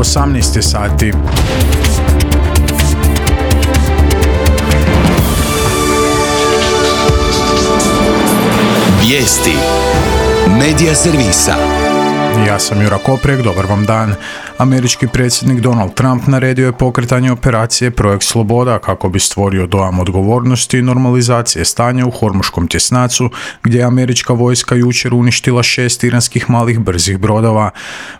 18 sati. Vijesti Medija servisa. Ja sam Jura Koprijek, dobar vam dan. Američki predsjednik Donald Trump naredio je pokretanje operacije Projekt Sloboda kako bi stvorio dojam odgovornosti i normalizacije stanja u Hormuškom tjesnacu, gdje je američka vojska jučer uništila 6 iranskih malih brzih brodova.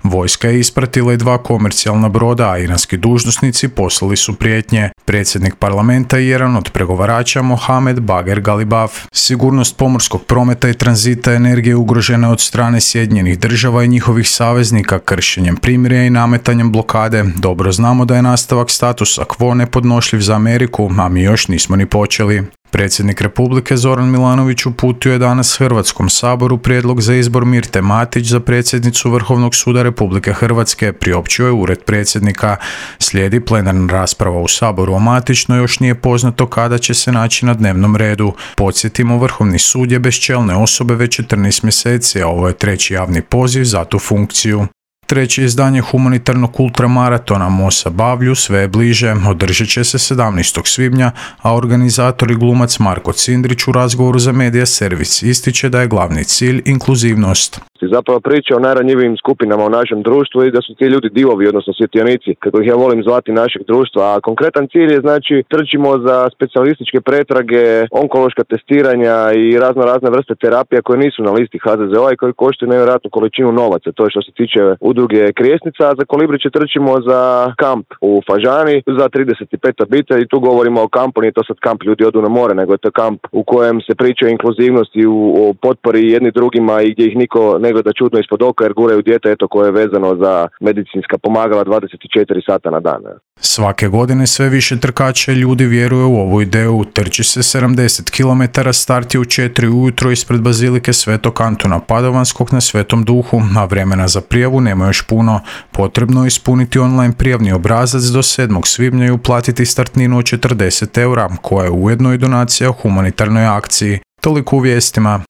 Vojska je ispratila i 2 komercijalna broda, a iranski dužnosnici poslali su prijetnje. Predsjednik parlamenta je jedan od pregovarača Mohamed Bagher Ghalibaf. Sigurnost pomorskog prometa i tranzita energije ugrožena od strane Sjedinjenih Država i njihovih saveznika kršenjem primirja i nametanjem blokade. Dobro znamo da je nastavak statusa quo nepodnošljiv za Ameriku, a mi još nismo ni počeli. Predsjednik Republike Zoran Milanović uputio je danas Hrvatskom saboru prijedlog za izbor Mirte Matić za predsjednicu Vrhovnog suda Republike Hrvatske, priopćio je Ured predsjednika. Slijedi plenarna rasprava u Saboru o Matić, no još nije poznato kada će se naći na dnevnom redu. Podsjetimo, Vrhovni sud je bez čelne osobe već 14 mjeseci, a ovo je 3. javni poziv za tu funkciju. 3. izdanje humanitarnog ultramaratona Mosa Bavlju sve je bliže, održat će se 17. svibnja, a organizator i glumac Marko Cindrić u razgovoru za Medija servis ističe da je glavni cilj inkluzivnost. Zapravo priča o najranjivijim skupinama u našem društvu i da su ti ljudi divovi, odnosno svjetionici, kako ih ja volim zvati, našeg društva. A konkretan cilj je, znači, trčimo za specijalističke pretrage, onkološka testiranja i razne vrste terapija koje nisu na listi HZZO-a i koje koštaju nevjerojatnu količinu novaca. To je što se tiče udruge Krijesnica, a za Kolibriće trčimo za kamp u Fažani za 35 obitelji. Tu govorimo o kampu, nije to sad kamp ljudi odu na more, nego je to kamp u kojem se priča o inkluzivnosti, o potpori jedni drugima i gdje ih niko ne gleda čudno ispod oka jer guraju dijete koje je vezano za medicinska pomagala 24 sata na dan. Svake godine sve više trkača ljudi vjeruje u ovu ideju. Trči se 70 km, start je u 4 ujutro ispred Bazilike Svetog Antuna Padovanskog na Svetom Duhu, a vremena za prijavu nema još puno. Potrebno je ispuniti online prijavni obrazac do 7. svibnja i uplatiti startninu od 40 €, koja je ujedno i donacija humanitarnoj akciji. Toliko u vijestima.